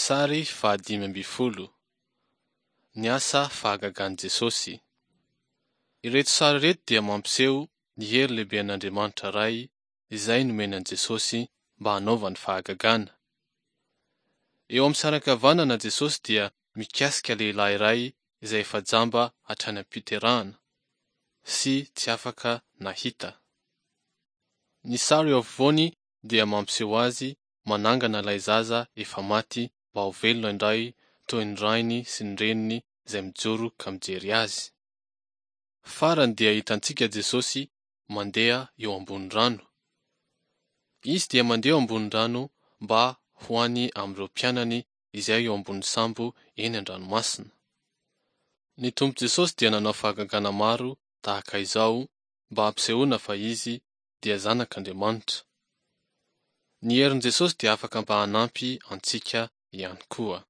Sary faha-15. Ny asa fahagagan'i Jesosy. Ireto sary ireto dia mampiseho ny hery lehiben'Andriamanitra Ray izay nomeny an'i Jesosy mba hanaovany fahagagana. Eo amin'ny sary ankavanana Jesosy dia mikasika lehilahy iray izay efa jamba hatrany am-piterahana sy tsy afaka nahita. Ny sary eo afovoany dia mampiseho azy manangana ilay zaza efa maty mba ho velona indray toy ny rainy sy ny reniny izay mijoro ka mijery azy. Farany dia hitantsika Jesosy mandeha eo ambony rano. Izy dia mandeha eo ambony rano mba ho any amin'ireo mpianany izay eo ambony sambo eny an-dranomasina. Ny Tompo Jesosy dia nanao fahagagana maro tahaka izao mba hampisehoana fa Izy dia Zanak'Andriamanitra. Ny herin'i Jesosy dia afaka mba hanampy antsika ihany koa.